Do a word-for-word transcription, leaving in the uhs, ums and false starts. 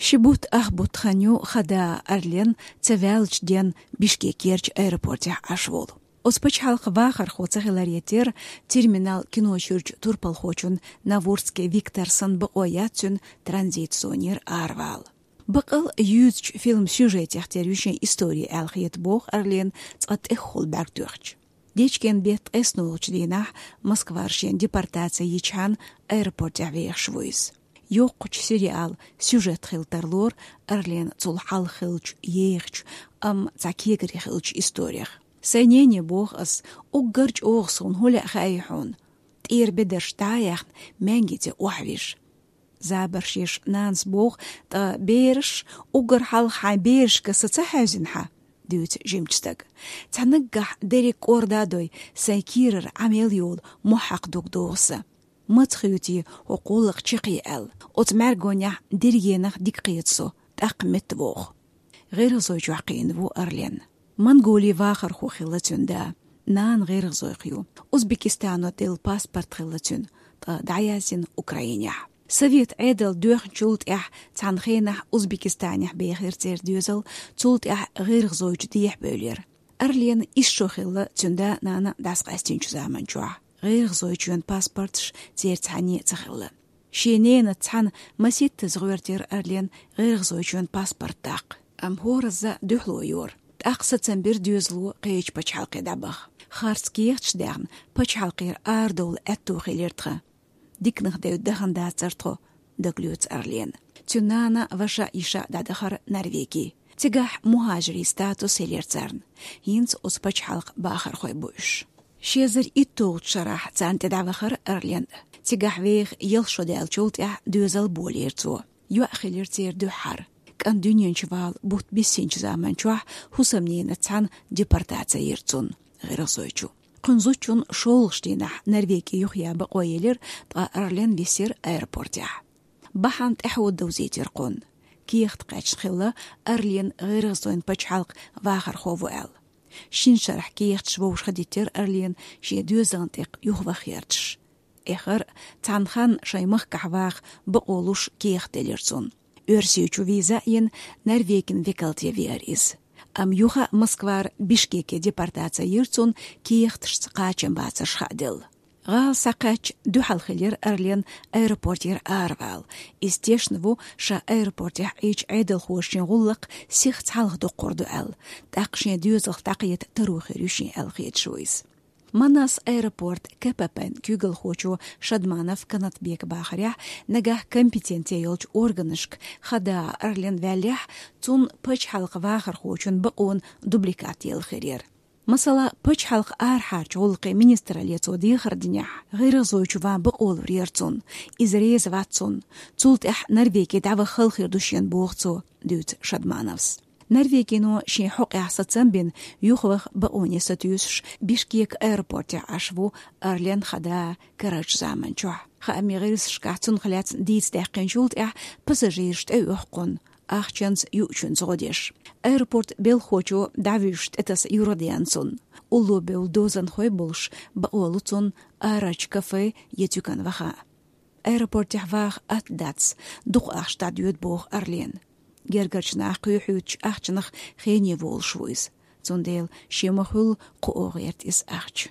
Ши бутт ах бутт хан ю хада Орлен ца ваьлча ден Бишкекерча аэропортехь Ӏаш волу. Оцу пачхьалкхан вахархо ца хиларе терра, терминал киношуьрчу турпалхочун Наворский Виктор санна бакъо яц цуьнан транзит зонера аравала. Бакъал юьзучу фильм сюжетех тера ю шен истори аьлла хета боху Орлен цкъа тӀехула бӀаьрг тоьхча. Дечкен беттан ткъеснолгӀачу дийнахь Москвара шен депортаци йичхьана аэропортехь вехаш ву иза. Йоккхачу сериал сюжет хила тарлора Орлен цул хьалха хиллачу ехачу, амма цхьа кегари хиллачу исторех. Сайн нене боху ас, уггар чӀогӀа суна хӀун лаьа хаьий хьуна? ТӀера бедарш дӀа а яьхна, маьнги тӀе охьавижа. Забарш еш нанас боху, ткъа бераш, уггар хьалха хьайн берашка са ца хьаьвзина хьан? Дуьйцу жимачу стага. Цхьа наггахь дерриг кӀорда а дой, сайн кийрара Ӏамел йолу мохь хьакха дуг догӀу сан. Маца хуьйций хӀокху гӀуллакх чекхъе аьлла, оцу мӀаьргонехь дерригенах дика кхета со, тӀаккха метта вогӀу. ГӀиргӀазойчохь кхиъна ву Орлен. Монголин вахархо хилла цуьнан да. Нана гӀиргӀазойх ю. Узбекистано делла паспорт хилла цуьнан, ткъа дӀаяздина Украинехь. Совет Ӏедал доьхначул тӀаьхьа цхьана хенахь Узбекистанехь бехира церан доьзал, цул тӀаьхьа гӀиргӀазойчу дехьа бевлира. Орлен исс шо хилла цуьнан да-нана дӀасакъаьстинчу заманчохь. ГӀиргӀазойчоьнан паспорташ церан цхьанне а ца хилла. Шен ненаца цхьаьна маситтаза гӀоьртира Орлен гӀиргӀазойчоьнан паспорт даккха. Амма хӀоразза дуьхьало йора. ТӀаккха сацам бира доьзало кхечу пачхьалкхе дӀабаха. Харц кехаташ даьхна, пачхьалкхера арадовла аьтто хилира тхан. Диканах девдда дахана дацара тхо, дагалоьцу Орлена. Цуьнан нана, ваша, йиша дӀадахара Норвеги. Цигахь мухӀажирийн статус хилира царна. ХӀинца оцу пачхьалкхан бахархой бу уьш. Ши эзар итталгӀачу шарахь царна тӀе дӀавахара Орлен. Цигахь веха ялх шо даьллачул тӀаьхьа доьзал болийра цо. ЙоӀ хилира церан дуьххьара. КӀант дуьнен чу вала бутт биссинчу заманчохь хӀусамненаца цхьаьна депортаци йира цунна гӀиргӀазойчу. Кхуьнан зудчунна шолгӀачу дийнахь Норвеги юхаян бакъо елира, ткъа Орлен висира аэропортехь. Бахьана тӀаьхьо довзийтира кхунна. Кехат кхаьчна хилла Орлен гӀиргӀазойн пачхьалкхан вахархо ву аьлла. Шина шарахь кехаташ вовшахтеттира Орлена шен доьзална тӀе юхаваха гӀерташ. Эххар а цхьана ханна шайн махкахь ваха бакъо луш кехат делира цунна. Оьрсийчу виза а йина, Норвегин векалте веара иза. Амма юха а Москвара Бишкеке депортаци йира цунна, кехаташца кхачам бацарш хааделла. ГӀала схьакхаьчча, дуьхьал хилира Орлен аэропортера аравала. Иза тешна ву, ша аэропортехь Ӏийча Ӏедалхоша шен гӀуллакх сихха цхьалха доккхур ду аьлла, тӀаккха шен доьзалх дӀакхета таро хир ю шен аьлла хеташ ву иза. Манас аэропорт КПП-н куьйгалхочо Шадманов Канатбека бахарехь, нагахь компетенци йолчу органашка хада Орлен ваьллехь, цунна пачхьалкхан вахархочун бакъонан дубликат елла хир яра. Масала, пачхьалкхан арахьарчу гӀуллакхийн министралле цо дехар динехь, гӀиргӀазойчу ван бакъо лур яра цунна, иза реза вац цунна, цул тӀаьхьа Норвеги дӀаваха хала хир ду шена, боху цо, дуьйцу Шадмановс. Норвегино шен хьокъехь сацам бина, юхаваха бакъоне сатуьйсуш, Бишкек аэропортехь Ӏаш ву Орлен хада карарчу заманчохь. Хаамийн гӀирсашкахь цунах лаьцна дийца даьккхинчул тӀаьхьа пассажираш тӀеоьху кхунна, ахчанца, юучуьнца гӀо деш. Аэропортан белхахочо дӀавуьжуш тӀетаса юргӀа деана цунна. Улло бевлла дозанхой болуш, бакъо лу цунна арарчу кафе я цуькан ваха. Аэропортехь ваха атта дац, дукха ахча дӀадоьду, боху Орлена. Гергарчу наха кхоьхьуьйтучу ахчанах хене волуш ву иза. Цундела шен ма-хуьллу кхоо гӀерта иза ахча.